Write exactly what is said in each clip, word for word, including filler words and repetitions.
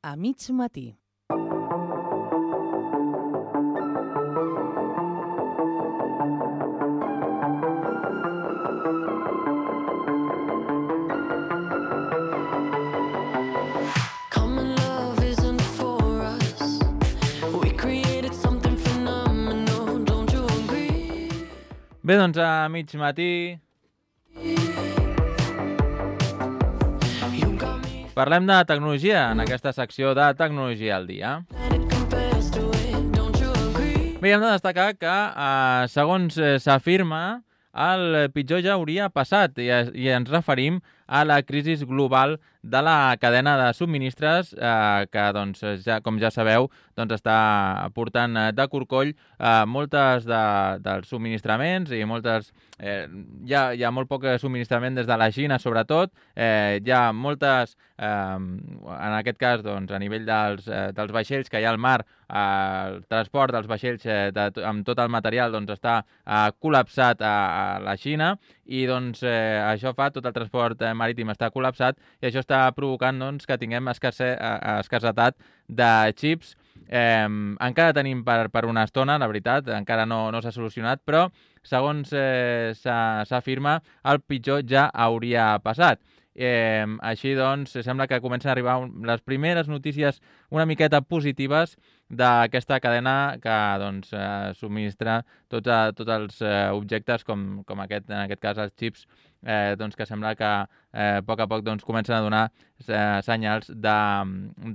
a mig matí. Bé, doncs a mig matí parlem de tecnologia en aquesta secció de Tecnologia al dia. Bé, hem de destacar que, eh, segons eh, s'afirma, el pitjor ja hauria passat i, i ens referim a la crisi global de la cadena de subministres eh, que, doncs, ja, com ja sabeu, doncs, està portant de corcoll eh, moltes de, dels subministraments i moltes... Eh, hi, ha, hi ha molt poc subministrament des de la Xina, sobretot. Eh, hi ha moltes... Eh, en aquest cas, doncs, a nivell dels, eh, dels vaixells que hi ha al mar, eh, el transport dels vaixells eh, de, amb tot el material doncs, està eh, col·lapsat a, a la Xina i doncs, eh, això fa, tot el transport eh, marítim està col·lapsat i això està provocant doncs, que tinguem escasser, eh, escassetat de xips. Eh, encara tenim per, per una estona, la veritat, encara no, no s'ha solucionat, però segons eh, s'afirma, el pitjor ja hauria passat. Eh, així doncs, sembla que comencen a arribar un, les primeres notícies una miqueta positives d'aquesta cadena que doncs, eh, subministra tots, a, tots els eh, objectes com, com aquest, en aquest cas els xips, eh, doncs, que sembla que eh, a poc a poc doncs, comencen a donar eh, senyals de,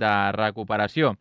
de recuperació.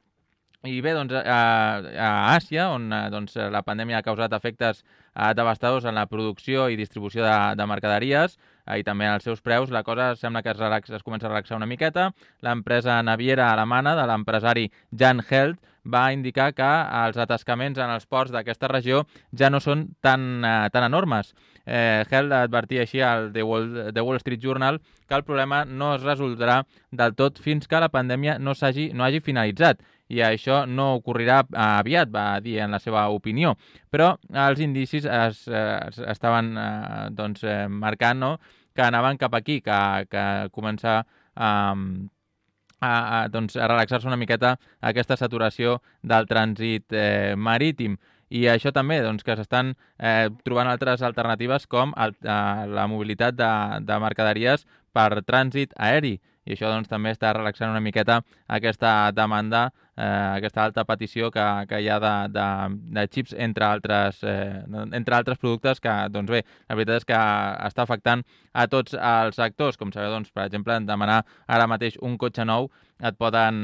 I bé, doncs, a, a Àsia, on doncs, la pandèmia ha causat efectes eh, devastadors en la producció i distribució de, de mercaderies eh, i també als seus preus, la cosa sembla que es, relaxa, es comença a relaxar una miqueta. L'empresa naviera alemana de l'empresari Jan Held va indicar que els atascaments en els ports d'aquesta regió ja no són tan, eh, tan enormes. Eh, Held advertia així al The Wall, The Wall Street Journal que el problema no es resoldrà del tot fins que la pandèmia no, s'hagi, no hagi finalitzat. I això no ocorrirà aviat, va dir en la seva opinió. Però els indicis es, es, estaven eh, doncs, eh, marcant no? que anaven cap aquí, que, que començar a, a, a, doncs, a relaxar-se una miqueta aquesta saturació del trànsit eh, marítim. I això també, doncs, que s'estan eh, trobant altres alternatives com el, eh, la mobilitat de, de mercaderies per trànsit aeri. I això doncs, també està relaxant una miqueta aquesta demanda, eh, aquesta alta petició que, que hi ha de, de, de xips entre altres, eh, entre altres productes que, doncs bé, la veritat és que està afectant a tots els sectors. Com sabeu, doncs, per exemple, en demanar ara mateix un cotxe nou et poden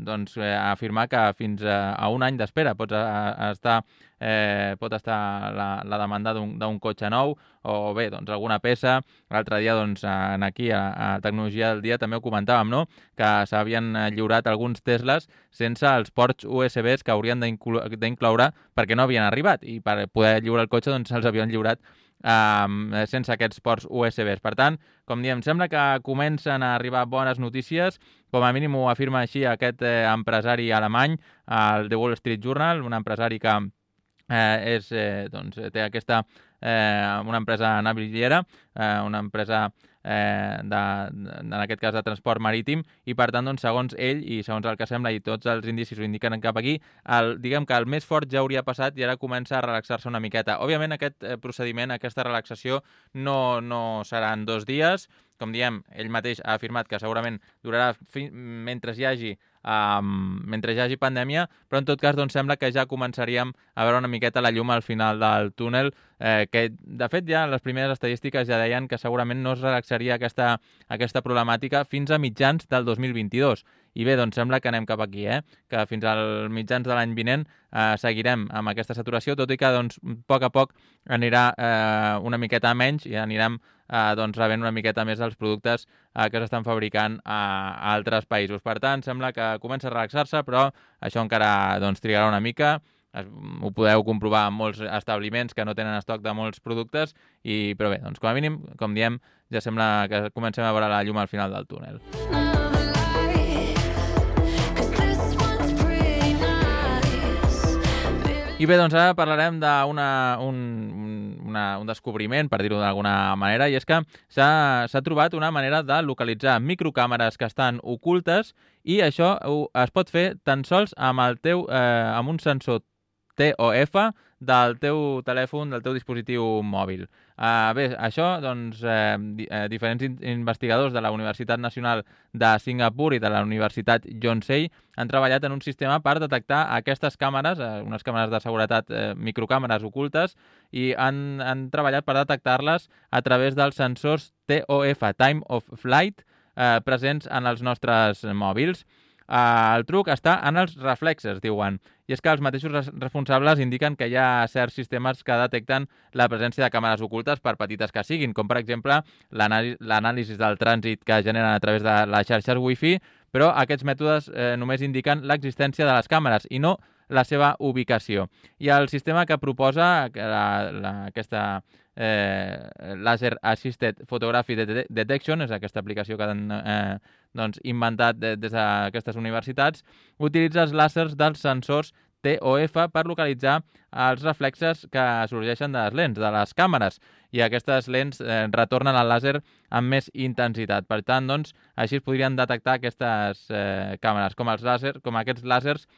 doncs, eh, afirmar que fins a, a un any d'espera pots a, a estar, eh, pot estar la, la demanda d'un cotxe nou o bé, doncs, alguna peça. L'altre dia, doncs, en aquí, a, a Tecnologia del Dia, també ho comentàvem, no? Que s'havien lliurat alguns Teslas sense els ports U S Bs que haurien d'incloure perquè no havien arribat i per poder lliurar el cotxe doncs, els havien lliurat Um, sense aquests ports U S Bs. Per tant, com diem, sembla que comencen a arribar bones notícies, com a mínim ho afirma així aquest eh, empresari alemany, el The Wall Street Journal, un empresari que eh, és, eh, doncs, té aquesta, eh, una empresa naviliera, eh, una empresa eh, de, de, en aquest cas de transport marítim, i per tant, doncs, segons ell i segons el que sembla i tots els indicis ho indiquen cap aquí, el, diguem que el més fort ja hauria passat i ara comença a relaxar-se una miqueta. Òbviament aquest eh, procediment, aquesta relaxació no, no serà en dos dies. Com diem, ell mateix ha afirmat que segurament durarà fi, mentre hi hagi Um, mentre hi hagi pandèmia, però en tot cas doncs, sembla que ja començaríem a veure una miqueta la llum al final del túnel, eh, que de fet ja les primeres estadístiques ja deien que segurament no es relaxaria aquesta, aquesta problemàtica fins a mitjans del dos mil vint-i-dos. I bé, doncs sembla que anem cap aquí, eh? Que fins al mitjans de l'any vinent eh, seguirem amb aquesta saturació, tot i que doncs, a poc a poc anirà eh, una miqueta menys i anirem eh, doncs, rebent una miqueta més els productes eh, que s'estan fabricant a, a altres països. Per tant, sembla que comença a relaxar-se, però això encara doncs, trigarà una mica. Ho podeu comprovar en molts establiments que no tenen estoc de molts productes, i, però bé, doncs, com a mínim, com diem, ja sembla que comencem a veure la llum al final del túnel. I bé, doncs ara parlarem d'una un, una, un descobriment, per dir-ho d'alguna manera, i és que s'ha trobat una manera de localitzar microcàmeres que estan ocultes i això ho, es pot fer tan sols amb, el teu, eh, amb un sensor T O F del teu telèfon, del teu dispositiu mòbil. Uh, bé, això, doncs, eh, di eh, diferents in investigadors de la Universitat Nacional de Singapur i de la Universitat Yonsei han treballat en un sistema per detectar aquestes càmeres, eh, unes càmeres de seguretat, eh, microcàmeres ocultes, i han, han treballat per detectar-les a través dels sensors T O F, Time of Flight, eh, presents en els nostres mòbils. Uh, el truc està en els reflexes, diuen, i és que els mateixos res responsables indiquen que hi ha certs sistemes que detecten la presència de càmeres ocultes, per petites que siguin, com per exemple l'anàlisi del trànsit que generen a través de les xarxes Wi-Fi, però aquests mètodes eh, només indiquen l'existència de les càmeres i no la seva ubicació. I el sistema que proposa la, la, aquesta eh, Laser Assisted Photography Detection, és aquesta aplicació que han eh, doncs, inventat de, des d'aquestes universitats, utilitza els làsers dels sensors T O F per localitzar els reflexes que sorgeixen de les lents, de les càmeres, i aquestes lents eh, retornen el làser amb més intensitat. Per tant, doncs, així es podrien detectar aquestes eh, càmeres. Com, els làser, com aquests làsers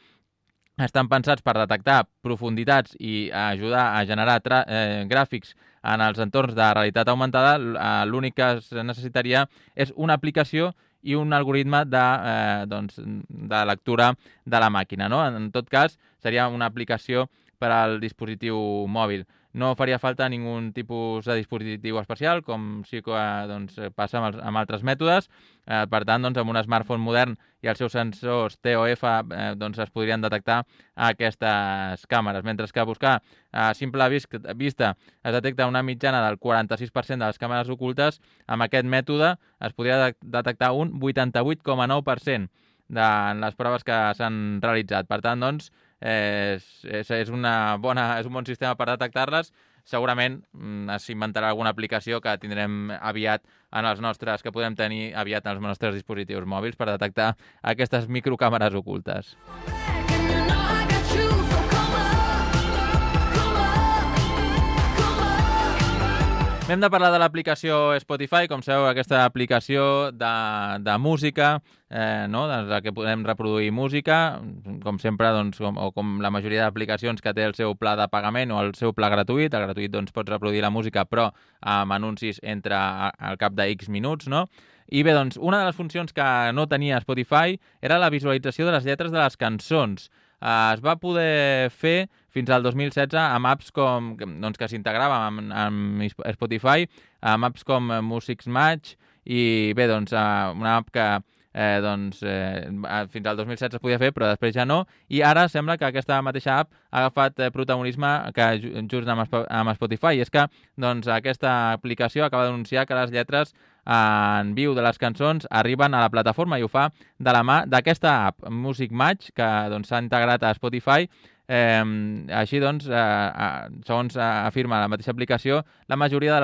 estan pensats per detectar profunditats i ajudar a generar eh, gràfics en els entorns de realitat augmentada, l'únic que es necessitaria és una aplicació i un algoritme de, eh, doncs, de lectura de la màquina, no? En tot cas, seria una aplicació per al dispositiu mòbil. No faria falta ningú tipus de dispositiu especial, com sí que doncs, passa amb, els, amb altres mètodes. Eh, per tant, doncs, amb un smartphone modern i els seus sensors T O F eh, doncs, es podrien detectar aquestes càmeres, mentre que a buscar a simple vista es detecta una mitjana del quaranta-sis per cent de les càmeres ocultes, amb aquest mètode es podria de detectar un vuitanta-vuit coma nou per cent de les proves que s'han realitzat. Per tant, doncs, és, és, és, una bona, és un bon sistema per detectar-les. Segurament s'inventarà alguna aplicació que tindrem aviat en els nostres, que podem tenir aviat en els nostres dispositius mòbils per detectar aquestes microcàmeres ocultes. Hem de parlar de l'aplicació Spotify, com sabeu, aquesta aplicació de, de música, eh, no? Des la que podem reproduir música, com sempre, doncs, com, o com la majoria d'aplicacions que té el seu pla de pagament o el seu pla gratuït. El gratuït doncs, pots reproduir la música, però amb anuncis entre al cap de X minuts, no? I bé, doncs, una de les funcions que no tenia Spotify era la visualització de les lletres de les cançons. Uh, es va poder fer fins al dos mil setze amb apps com, doncs, que s'integrava amb, amb Spotify, amb apps com Music's Match, i bé, doncs, uh, una app que eh, doncs, eh, fins al dos mil setze es podia fer, però després ja no, i ara sembla que aquesta mateixa app ha agafat eh, protagonisme que just amb, amb Spotify, i és que doncs, aquesta aplicació acaba d'anunciar que les lletres en viu de les cançons arriben a la plataforma i ho fa de la mà d'aquesta app, Music Match, que doncs, s'ha integrat a Spotify. Eh, així doncs, eh, segons afirma la mateixa aplicació, la majoria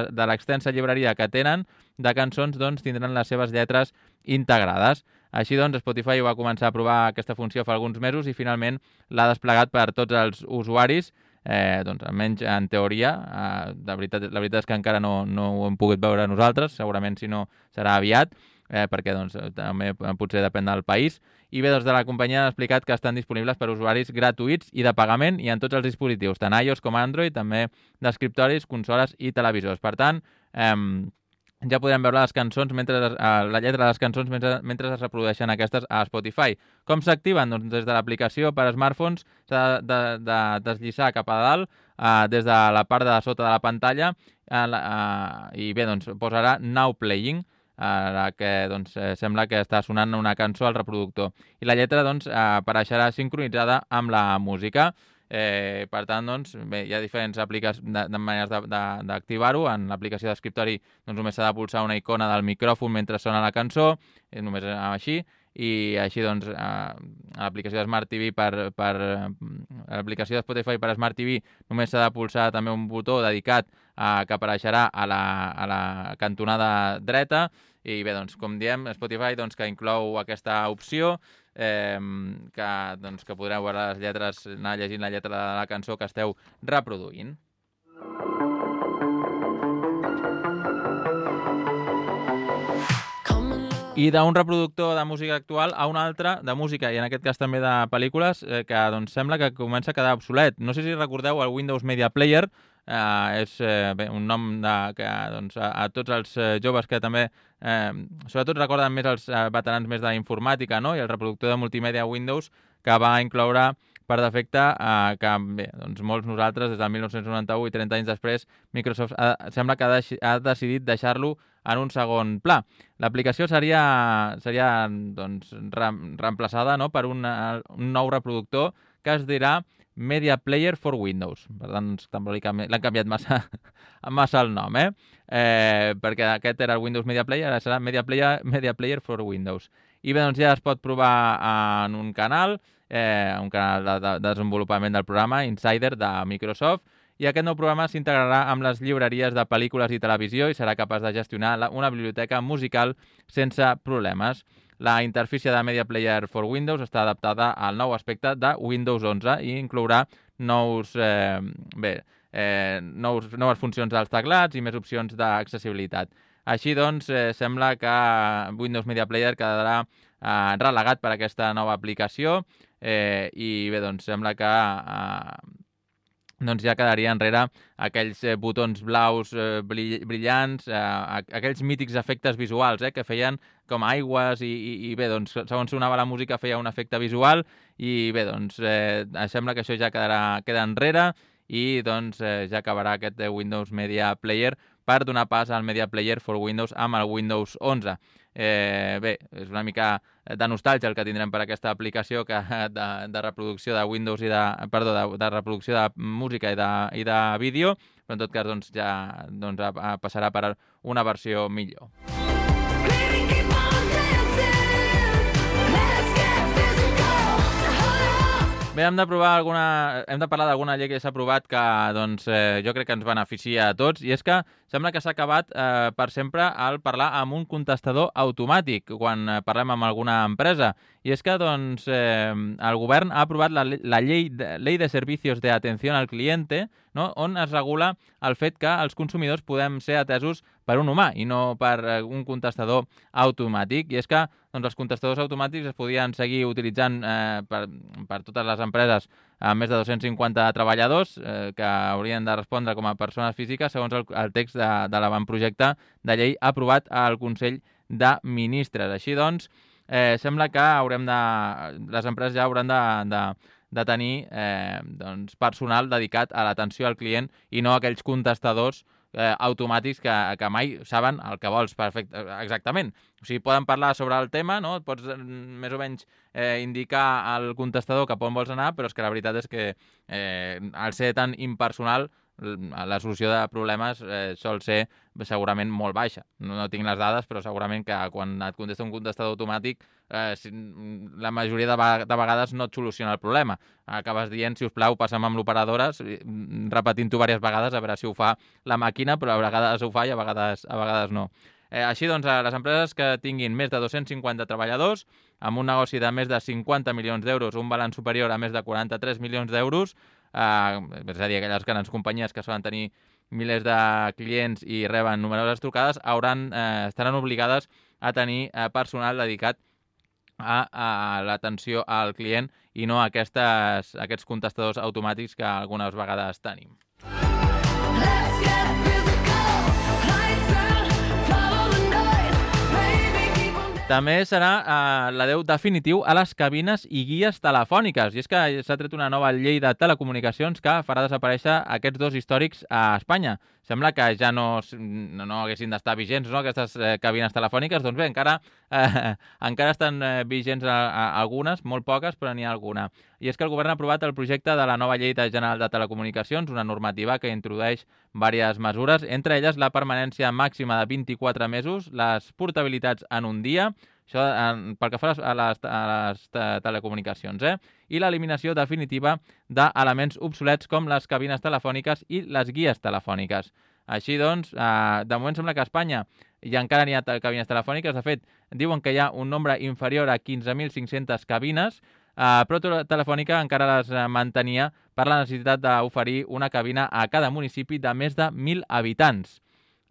de l'extensa llibreria que tenen de cançons doncs, tindran les seves lletres integrades. Així doncs, Spotify va començar a provar aquesta funció fa alguns mesos i finalment l'ha desplegat per tots els usuaris. Eh, doncs, almenys en teoria, eh, de veritat, la veritat és que encara no, no ho hem pogut veure nosaltres, segurament si no serà aviat, eh, perquè doncs, també potser depèn del país. I bé, doncs, de la companyia han explicat que estan disponibles per usuaris gratuïts i de pagament i en tots els dispositius, tant iOS com Android, també d'escriptoris, consoles i televisors. Per tant, eh, ja podem veure les cançons, mentre, la lletra de les cançons mentre, mentre es reprodueixen aquestes a Spotify. Com s'activen? Doncs des de l'aplicació per a smartphones s'ha de, de, de deslliçar cap a dalt, eh, des de la part de sota de la pantalla, eh, eh, i bé, doncs posarà Now Playing, eh, la que doncs, eh, sembla que està sonant una cançó al reproductor. I la lletra doncs, eh, apareixerà sincronitzada amb la música. Eh, per tant, doncs, bé, hi ha diferents aplicacions de, de maneres d'activar-ho. En l'aplicació d'escriptori doncs, només s'ha de pulsar una icona del micròfon mentre sona la cançó, eh, només així, i així doncs eh, a l'aplicació de Smart T V per, per a l'aplicació de Spotify per a Smart T V només s'ha de pulsar també un botó dedicat a, que apareixerà a la, a la cantonada dreta. I bé, doncs, com diem, Spotify doncs, que inclou aquesta opció, eh, que, doncs, que podreu veure les lletres, anar llegint la lletra de la cançó que esteu reproduint. i d'un reproductor de música actual a un altre de música, i en aquest cas també de pel·lícules, eh, que doncs, sembla que comença a quedar obsolet. No sé si recordeu el Windows Media Player, eh, és eh, bé, un nom de, que doncs, a, a tots els eh, joves que també, eh, sobretot recorden més els eh, veterans més d'informàtica, no? I el reproductor de multimèdia Windows, que va incloure per defecte eh, que bé, doncs molts nosaltres des del mil nou-cents noranta-u i trenta anys després Microsoft ha, sembla que ha, deix, ha decidit deixar-lo en un segon pla. L'aplicació seria, seria doncs, re, reemplaçada, no?, per una, un nou reproductor que es dirà Media Player for Windows. Per tant, l'han canviat massa, massa el nom, eh? eh? Perquè aquest era el Windows Media Player, ara serà Media Player, Media Player for Windows. I bé, doncs ja es pot provar en un canal, eh, un canal de, de desenvolupament del programa, Insider, de Microsoft, i aquest nou programa s'integrarà amb les llibreries de pel·lícules i televisió i serà capaç de gestionar la, una biblioteca musical sense problemes. La interfície de Media Player for Windows està adaptada al nou aspecte de Windows onze i inclourà nous, eh, bé, eh, nous, noves funcions dels teclats i més opcions d'accessibilitat. Així doncs, eh, sembla que Windows Media Player quedarà eh, relegat per aquesta nova aplicació eh, i bé, doncs sembla que eh, doncs ja quedaria enrere aquells eh, botons blaus eh, brillants, eh, aquells mítics efectes visuals eh, que feien com aigües i, i, i bé, doncs segons sonava la música feia un efecte visual i bé, doncs eh, sembla que això ja quedarà, queda enrere i doncs eh, ja acabarà aquest Windows Media Player per donar pas al Media Player for Windows amb el Windows onze. Eh, bé, és una mica de nostàlgia el que tindrem per aquesta aplicació que de, de reproducció de Windows i de, perdó, de, de reproducció de música i de, i de vídeo, però en tot cas doncs, ja doncs, passarà per una versió millor. Bé, hem de provar alguna... hem de parlar d'alguna llei que s'ha aprovat que doncs, eh, jo crec que ens beneficia a tots, i és que sembla que s'ha acabat eh, per sempre el parlar amb un contestador automàtic quan eh, parlem amb alguna empresa. I és que doncs, eh, el govern ha aprovat la, la llei de, Ley de Servicios de Atención al Cliente, no?, on es regula el fet que els consumidors podem ser atesos per un humà i no per eh, un contestador automàtic. I és que doncs, els contestadors automàtics es podien seguir utilitzant eh, per, per totes les empreses amb més de dos-cents cinquanta treballadors eh, que haurien de respondre com a persones físiques segons el, el text de, de l'avantprojecte de llei aprovat al Consell de Ministres. Així doncs, eh, sembla que haurem de, les empreses ja hauran de, de, de tenir eh, doncs, personal dedicat a l'atenció al client i no aquells contestadors eh, automàtics que, que mai saben el que vols perfecte, exactament. O sigui, poden parlar sobre el tema, no? Et pots més o menys eh, indicar al contestador cap on vols anar, però és que la veritat és que eh, al ser tan impersonal la solució de problemes eh, sol ser segurament molt baixa. No, no tinc les dades, però segurament que quan et contesta un contestador automàtic eh, si, la majoria de, de vegades no et soluciona el problema. Acabes dient, si us plau, passa'm amb l'operadora, repetint-ho diverses vegades a veure si ho fa la màquina, però a vegades ho fa i a vegades, a vegades no. Eh, així doncs, a les empreses que tinguin més de dos-cents cinquanta treballadors, amb un negoci de més de cinquanta milions d'euros, un balanç superior a més de quaranta-tres milions d'euros, Uh, és a dir, aquelles grans companyies que solen tenir milers de clients i reben numeroses trucades, hauran, eh, estaran obligades a tenir eh, personal dedicat a, a l'atenció al client i no a aquestes, aquests contestadors automàtics que algunes vegades tenim. També serà eh, l'adeu definitiu a les cabines i guies telefòniques. I és que s'ha tret una nova llei de telecomunicacions que farà desaparèixer aquests dos històrics a Espanya. Sembla que ja no, no, no haguessin d'estar vigents, no?, aquestes eh, cabines telefòniques. Doncs bé, encara, eh, encara estan eh, vigents a, a algunes, molt poques, però n'hi ha alguna. I és que el govern ha aprovat el projecte de la nova llei general de telecomunicacions, una normativa que introdueix diverses mesures, entre elles la permanència màxima de vint-i-quatre mesos, les portabilitats en un dia, això eh, pel que fa a les, a les telecomunicacions, eh? I l'eliminació definitiva d'elements obsolets com les cabines telefòniques i les guies telefòniques. Així doncs, eh, de moment sembla que a Espanya ja encara n'hi ha cabines telefòniques. De fet, diuen que hi ha un nombre inferior a quinze mil cinc-centes cabines, eh, però Telefònica encara les mantenia per la necessitat d'oferir una cabina a cada municipi de més de mil habitants.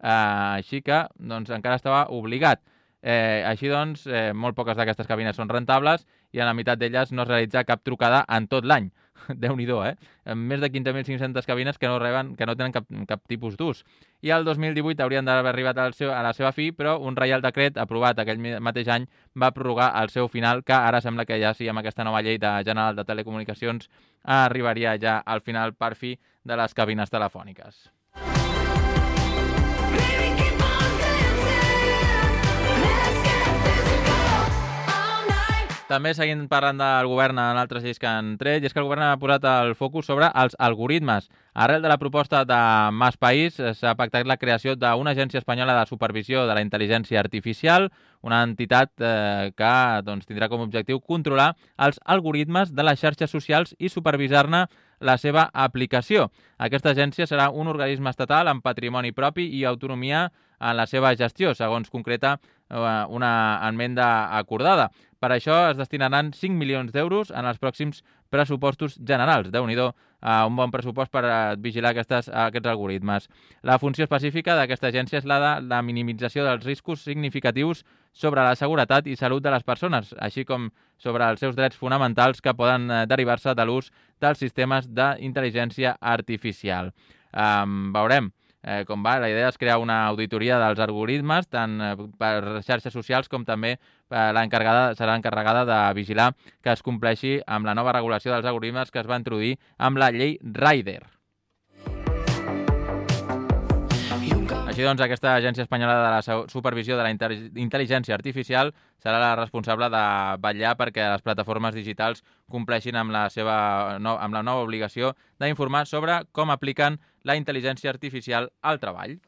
Eh, així que doncs, encara estava obligat. Eh, així doncs, eh, molt poques d'aquestes cabines són rentables i en la meitat d'elles no es realitza cap trucada en tot l'any. Déu-n'hi-do, eh? Amb més de quinze mil cinc-centes cabines que no reben, que no tenen cap, cap tipus d'ús. I el dos mil divuit haurien d'haver arribat al seu, a la seva fi, però un reial decret aprovat aquell mateix any va prorrogar el seu final, que ara sembla que ja sí, amb aquesta nova llei de general de telecomunicacions, arribaria ja al final per fi de les cabines telefòniques. També seguint parlant del govern en altres lleis que han tret, i és que el govern ha posat el focus sobre els algoritmes. Arrel de la proposta de Mas País s'ha pactat la creació d'una agència espanyola de supervisió de la intel·ligència artificial, una entitat eh, que doncs, tindrà com a objectiu controlar els algoritmes de les xarxes socials i supervisar-ne la seva aplicació. Aquesta agència serà un organisme estatal amb patrimoni propi i autonomia en la seva gestió, segons concreta eh, una enmenda acordada. Per això es destinaran cinc milions d'euros en els pròxims pressupostos generals. Déu-n'hi-do, uh, un bon pressupost per uh, vigilar aquestes, uh, aquests algoritmes. La funció específica d'aquesta agència és la de la minimització dels riscos significatius sobre la seguretat i salut de les persones, així com sobre els seus drets fonamentals que poden uh, derivar-se de l'ús dels sistemes d'intel·ligència artificial. Um, veurem. Eh, com va, la idea és crear una auditoria dels algoritmes, tant eh, per xarxes socials com també eh, l'encarregada serà encarregada de vigilar que es compleixi amb la nova regulació dels algoritmes que es va introduir amb la llei Rider. Així doncs, aquesta agència espanyola de la supervisió de la intel·ligència artificial serà la responsable de vetllar perquè les plataformes digitals compleixin amb la, seva, no, amb la nova obligació d'informar sobre com apliquen la intel·ligència artificial al treball.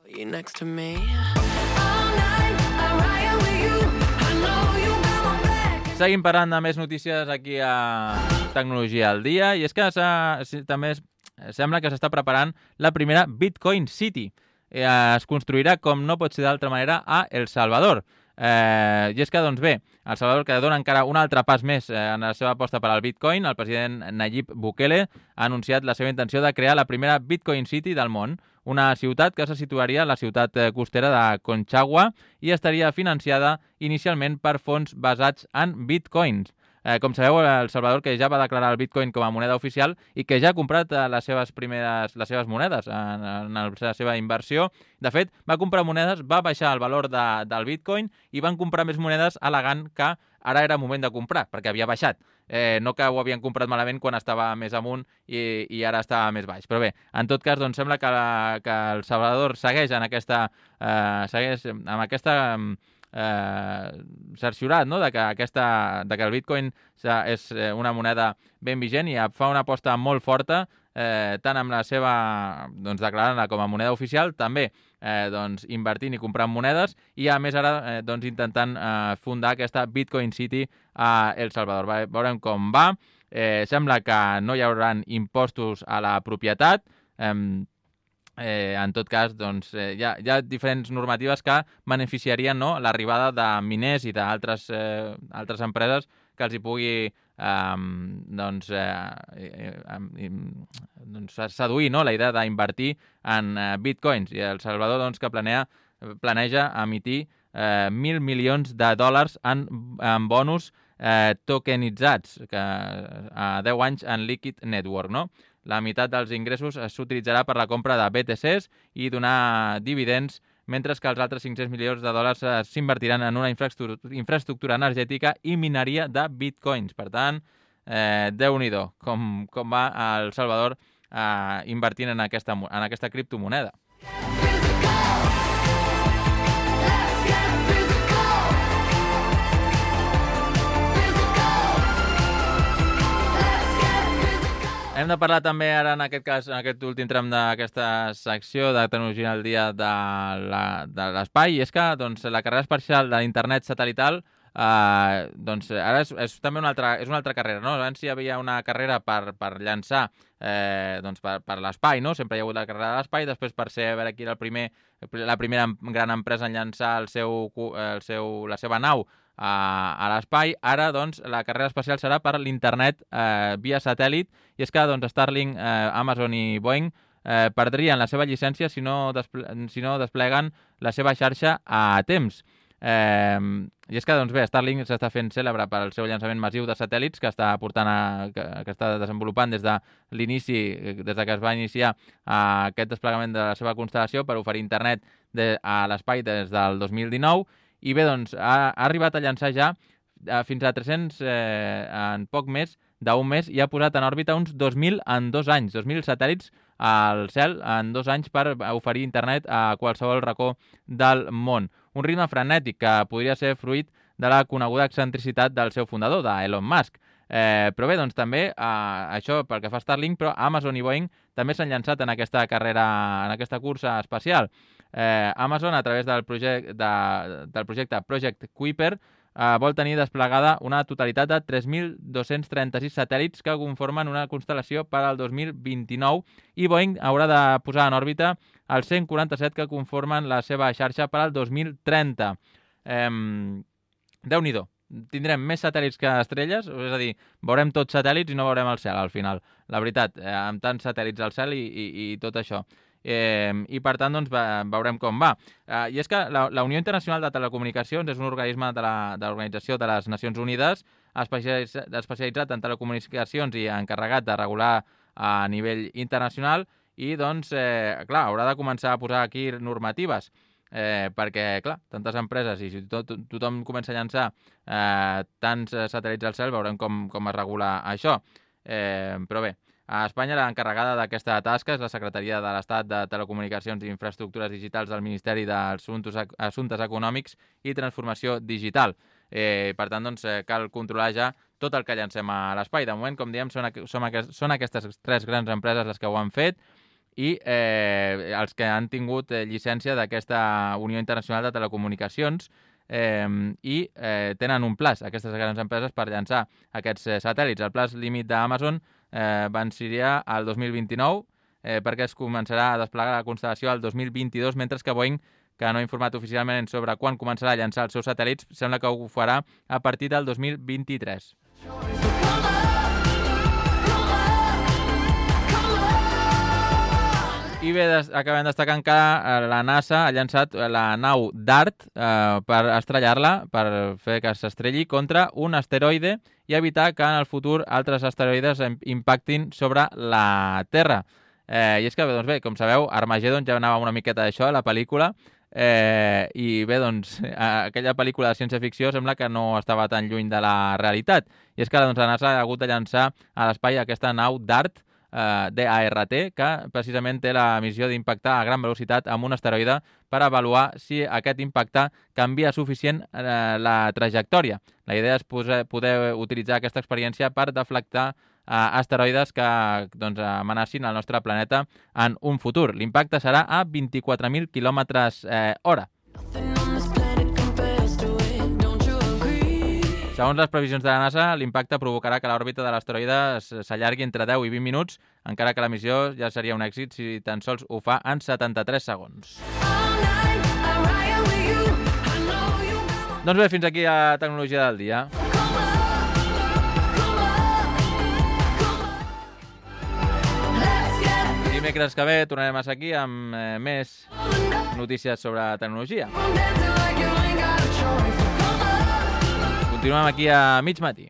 Seguim parlant de més notícies aquí a Tecnologia al Dia, i és que també sembla que s'està preparant la primera Bitcoin City. Es construirà, com no pot ser d'altra manera, a El Salvador. Eh, I és que, doncs bé, El Salvador, que dona encara un altre pas més eh, en la seva aposta per al Bitcoin, el president Nayib Bukele ha anunciat la seva intenció de crear la primera Bitcoin City del món, una ciutat que se situaria a la ciutat costera de Conchagua i estaria financiada inicialment per fons basats en bitcoins. Eh, com sabeu, El Salvador, que ja va declarar el Bitcoin com a moneda oficial i que ja ha comprat eh, les seves primeres les seves monedes en, en la seva inversió. De fet, va comprar monedes, va baixar el valor de, del Bitcoin i van comprar més monedes al·legant que ara era moment de comprar, perquè havia baixat. Eh, no que ho havien comprat malament quan estava més amunt i, i ara estava més baix. Però bé, en tot cas, doncs sembla que, la, que El Salvador segueix en aquesta, eh, segueix amb aquesta eh, cerciorat, no? de, que aquesta, de que el Bitcoin és una moneda ben vigent i fa una aposta molt forta, eh, tant amb la seva, doncs, declarant-la com a moneda oficial, també eh, doncs, invertint i comprant monedes, i a més ara eh, doncs, intentant eh, fundar aquesta Bitcoin City a El Salvador. Va, veurem com va. Eh, sembla que no hi haurà impostos a la propietat. Eh, Eh, en tot cas, doncs, eh, hi, ha, hi ha diferents normatives que beneficiarien, no?, l'arribada de miners i d'altres eh, altres empreses que els hi pugui eh, doncs, eh, eh, doncs, seduir, no?, la idea d'invertir en eh, bitcoins. I El Salvador, doncs, que planea, planeja emitir eh, mil milions de dòlars en, en bonus eh, tokenitzats que, a deu anys en Liquid Network, no? La meitat dels ingressos s'utilitzarà per la compra de B T Cs i donar dividends, mentre que els altres cinc-cents milions de dòlars s'invertiran en una infraestructura, infraestructura energètica i mineria de bitcoins. Per tant, eh, Déu-n'hi-do, com, com va El Salvador eh, invertint en aquesta, en aquesta criptomoneda. Hem de parlar també ara, en aquest cas, en aquest últim tram d'aquesta secció de Tecnologia al Dia de l'espai, i és que doncs, la carrera espacial de l'internet satelital eh, doncs, ara és, és també una altra, és una altra carrera, no? Abans hi havia una carrera per, per llançar eh, doncs, per, per l'espai, no? Sempre hi ha hagut la carrera de l'espai, després per ser a veure qui era el primer, la primera gran empresa en llançar el seu, el seu, la seva nau a, a l'espai. Ara, doncs, la carrera espacial serà per l'internet eh, via satèl·lit, i és que doncs, Starlink, eh, Amazon i Boeing eh, perdrien la seva llicència si no, desple si no despleguen la seva xarxa a temps. Eh, I és que, doncs bé, Starlink s'està fent cèlebre pel seu llançament massiu de satèl·lits que està portant a, que, que està desenvolupant des de l'inici, des de que es va iniciar a aquest desplegament de la seva constel·lació per oferir internet de, a l'espai des del dos mil dinou. I bé, doncs, ha, ha arribat a llançar ja eh, fins a tres-cents eh, en poc més d'un mes i ha posat en òrbita uns dos mil en dos anys, dos mil satèl·lits al cel en dos anys per oferir internet a qualsevol racó del món. Un ritme frenètic que podria ser fruit de la coneguda excentricitat del seu fundador, d'Elon Musk. Eh, però bé, doncs també, eh, això pel que fa a Starlink, però Amazon i Boeing també s'han llançat en aquesta carrera, en aquesta cursa espacial. Eh, Amazon, a través del, project, de, del projecte Project Kuiper, Uh, vol tenir desplegada una totalitat de tres mil dos-cents trenta-sis satèl·lits que conformen una constel·lació per al dos mil vint-i-nou i Boeing haurà de posar en òrbita els cent quaranta-set que conformen la seva xarxa per al dos mil trenta. Um, Déu-n'hi-do. Tindrem més satèl·lits que estrelles, és a dir, veurem tots satèl·lits i no veurem el cel al final. La veritat, eh, amb tants satèl·lits al cel i, i, i tot això. Eh, i per tant doncs, veurem com va. Eh, I és que la, la Unió Internacional de Telecomunicacions és un organisme de l'Organització de, de les Nacions Unides especialitzat, especialitzat en telecomunicacions i encarregat de regular a nivell internacional i doncs, eh, clar, haurà de començar a posar aquí normatives eh, perquè, clar, tantes empreses i si tot, tothom comença a llançar eh, tants satèl·lits al cel, veurem com, com es regula això. Eh, però bé, a Espanya l'encarregada d'aquesta tasca és la Secretaria de l'Estat de Telecomunicacions i Infraestructures Digitals del Ministeri d'Assumptes Assumptes Econòmics i Transformació Digital. Eh, per tant, doncs, cal controlar ja tot el que llancem a l'espai. De moment, com diem, són, són, aquest, són aquestes tres grans empreses les que ho han fet i eh, els que han tingut eh, llicència d'aquesta Unió Internacional de Telecomunicacions eh, i eh, tenen un plaç, aquestes grans empreses, per llançar aquests eh, satèl·lits. El plaç límit d'Amazon Eh, venciria el dos mil vint-i-nou eh, perquè es començarà a desplegar la constel·lació el dos mil vint-i-dos, mentre que Boeing, que no ha informat oficialment sobre quan començarà a llançar els seus satèl·lits, sembla que ho farà a partir del dos mil vint-i-tres. I bé, acabem destacant que la NASA ha llançat la nau DART eh, per estrellar-la, per fer que s'estrelli contra un asteroide i evitar que en el futur altres asteroides impactin sobre la Terra. Eh, I és que, doncs bé, com sabeu, Armageddon ja anava una miqueta d'això, la pel·lícula, eh, i bé, doncs, aquella pel·lícula de ciència-ficció sembla que no estava tan lluny de la realitat. I és que doncs, la NASA ha hagut de llançar a l'espai aquesta nau DART, Uh, D A R T, que precisament té la missió d'impactar a gran velocitat amb un asteroide per avaluar si aquest impacte canvia suficient uh, la trajectòria. La idea és poder, poder utilitzar aquesta experiència per deflectar uh, asteroides que doncs, amenacin el nostre planeta en un futur. L'impacte serà a vint-i-quatre mil quilòmetres eh, hora. Segons les previsions de la NASA, l'impacte provocarà que l'òrbita de l'asteroide s'allargui entre deu i vint minuts, encara que la missió ja seria un èxit si tan sols ho fa en setanta-tres segons. Doncs bé, fins aquí la tecnologia del dia. Dimecres que ve tornarem a ser aquí amb eh, més notícies sobre tecnologia. Continuem aquí a mig matí.